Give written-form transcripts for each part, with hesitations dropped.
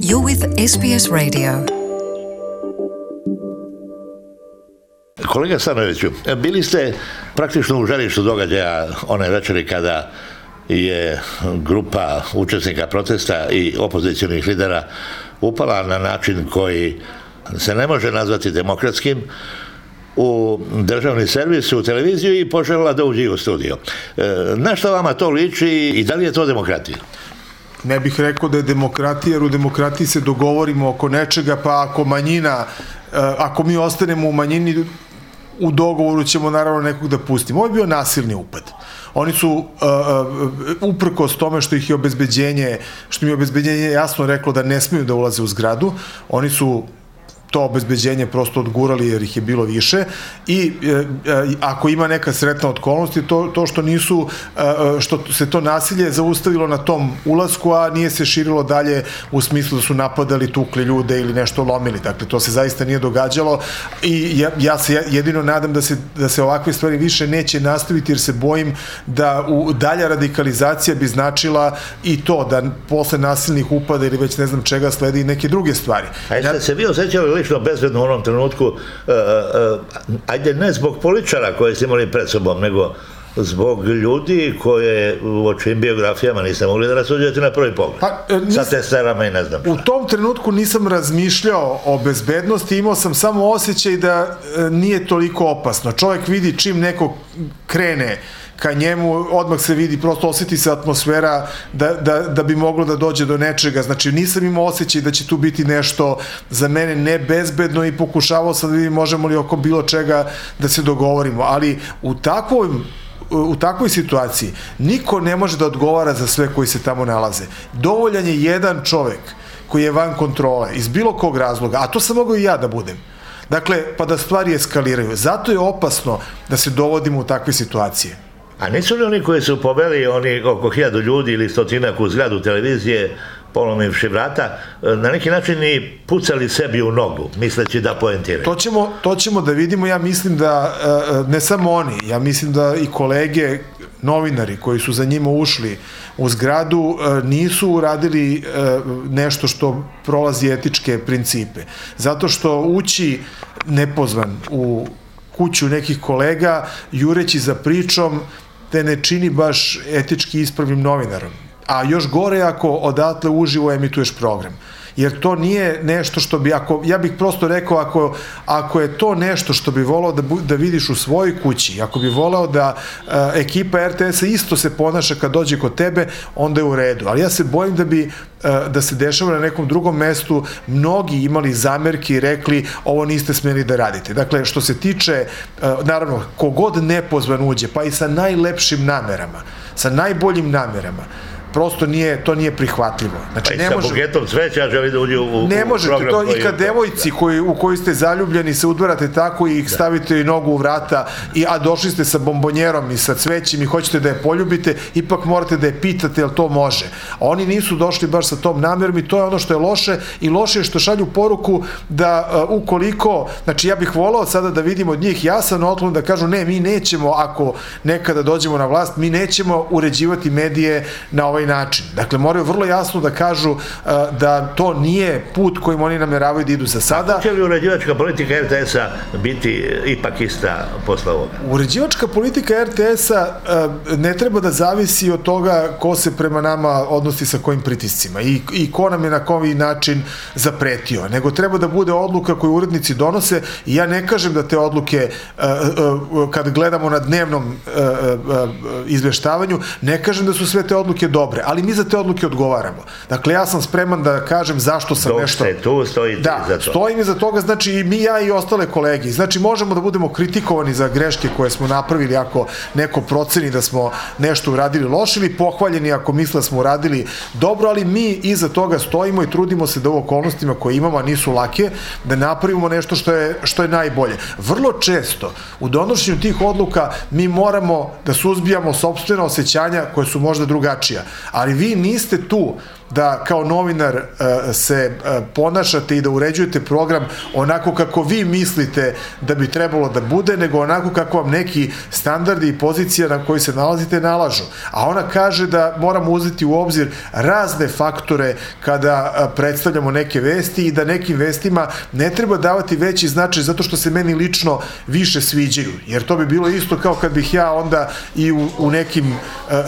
You're with SBS Radio. Kolega Stanojeviću, bili ste praktično u žarištu događaja one večeri kada je grupa učesnika protesta i opozicionih lidera upala na način koji se ne može nazvati demokratskim u državni servis, u televiziju i poželjela da uđe u studio. Na što vama to liči i da li je to demokratija? Ne bih rekao da je demokratija, jer u demokratiji se dogovorimo oko nečega, pa ako manjina, ako mi ostanemo u manjini, u dogovoru ćemo naravno nekog da pustimo. Ovo je bio nasilni upad. Oni su, uprkos tome što im je obezbeđenje jasno reklo da ne smiju da ulaze u zgradu, oni su to obezbeđenje prosto odgurali jer ih je bilo više i ako ima neka sretna okolnost je to što se to nasilje zaustavilo na tom ulasku, a nije se širilo dalje u smislu da su napadali, tukli ljude ili nešto lomili. Dakle, to se zaista nije događalo i ja se jedino nadam da se ovakve stvari više neće nastaviti, jer se bojim da dalja radikalizacija bi značila i to da posle nasilnih upada ili već ne znam čega sledi i neke druge stvari. A jeste se vi osjećali lično bezbedno u onom trenutku, ajde ne zbog političara koje ste imali pred sobom, nego zbog ljudi koje u čijim biografijama niste mogli da rasuđujete na prvi pogled, sa testerama i ne znam šta. U tom trenutku nisam razmišljao o bezbednosti, imao sam samo osjećaj da nije toliko opasno. Čovjek vidi čim neko krene ka njemu, odmah se vidi, prosto osjeti se atmosfera da bi moglo da dođe do nečega. Znači, nisam imao osjećaj da će tu biti nešto za mene nebezbedno i pokušavao sam da vidim možemo li oko bilo čega da se dogovorimo. Ali u takvoj situaciji niko ne može da odgovara za sve koji se tamo nalaze. Dovoljan je jedan čovek koji je van kontrole, iz bilo kog razloga, a to sam mogao i ja da budem. Dakle, pa da stvari eskaliraju. Zato je opasno da se dovodimo u takve situacije. A nisu li oni koji su poveli oko 1000 ljudi ili stotinak u zgradu televizije, polomivši vrata, na neki način i pucali sebi u nogu, misleći da poentiraju? To ćemo da vidimo. Ja mislim da, ne samo oni, ja mislim da i kolege novinari koji su za njima ušli u zgradu nisu uradili nešto što prolazi etičke principe. Zato što ući nepozvan u kuću nekih kolega, jureći za pričom, te ne čini baš etički ispravnim novinarom. A još gore ako odatle uživo emituješ program. Jer to nije nešto što bi, ja bih prosto rekao, ako je to nešto što bi volao da vidiš u svojoj kući, ako bi volao da ekipa RTS-a isto se ponaša kad dođe kod tebe, onda je u redu. Ali ja se bojim da se dešava na nekom drugom mestu, mnogi imali zamerki i rekli ovo niste smjeli da radite. Dakle, što se tiče, naravno, kogod nepozvan uđe, pa i sa najlepšim namerama, sa najboljim namerama, prosto to nije prihvatljivo. Znači, pa i sa buketom cveća želi da uđe u program. Ne možete to, i kad devojci u koji ste zaljubljeni se udvarate tako i ih stavite i nogu u vrata, a došli ste sa bombonjerom i sa cvećem i hoćete da je poljubite, ipak morate da je pitate jel to može. A oni nisu došli baš sa tom namjerom i to je ono što je loše, i loše je što šalju poruku da ukoliko, znači ja bih volao sada da vidim od njih jasan otklon da kažu ne, mi nećemo, ako nekada dođemo na vlast, mi nećemo uređivati medije na ovaj način. Dakle, moraju vrlo jasno da kažu da to nije put kojim oni nameravaju da idu za sada. A će li uređivačka politika RTS-a biti ipak ista posle ovoga? Uređivačka politika RTS-a ne treba da zavisi od toga ko se prema nama odnosi sa kojim pritiscima i ko nam je na koji način zapretio, nego treba da bude odluka koju urednici donose. I ja ne kažem da te odluke, kad gledamo na dnevnom izveštavanju, ne kažem da su sve te odluke dobre, ali mi za te odluke odgovaramo. Dakle, ja sam spreman da kažem zašto sam nešto... Dok ste tu, stojite iza toga. Stojim iza toga, znači i mi, ja i ostale kolege. Znači, možemo da budemo kritikovani za greške koje smo napravili ako neko proceni da smo nešto uradili loše, ili pohvaljeni ako misle da smo uradili dobro, ali mi iza toga stojimo i trudimo se da u okolnostima koje imamo, a nisu lake, da napravimo nešto što je najbolje. Vrlo često u donošenju tih odluka mi moramo da suzbijamo sopstvena osjećanja koje su možda drugačija, ali vi niste tu da kao novinar se ponašate i da uređujete program onako kako vi mislite da bi trebalo da bude, nego onako kako vam neki standardi i pozicija na koji se nalazite nalažu. A ona kaže da moramo uzeti u obzir razne faktore kada predstavljamo neke vesti i da nekim vestima ne treba davati veći značaj zato što se meni lično više sviđaju. Jer to bi bilo isto kao kad bih ja onda i u nekim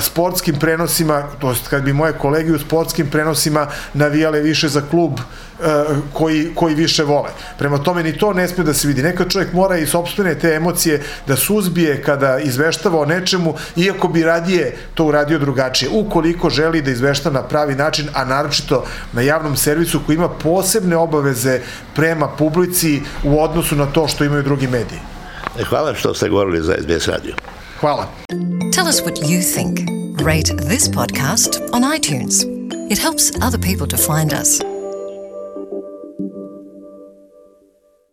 sportskim prenosima, to jest kad bi moje kolege u sportskim prenosima navijale više za klub koji više vole. Prema tome ni to ne sme da se vidi. Nekad čovjek mora i sopstvene te emocije da suzbije kada izveštava o nečemu, iako bi radije to uradio drugačije. Ukoliko želi da izvešta na pravi način, a naročito na javnom servisu koji ima posebne obaveze prema publici u odnosu na to što imaju drugi mediji. Hvala što ste govorili za SBS radio. Hvala. Tell us what you think. Rate this podcast on iTunes. It helps other people to find us.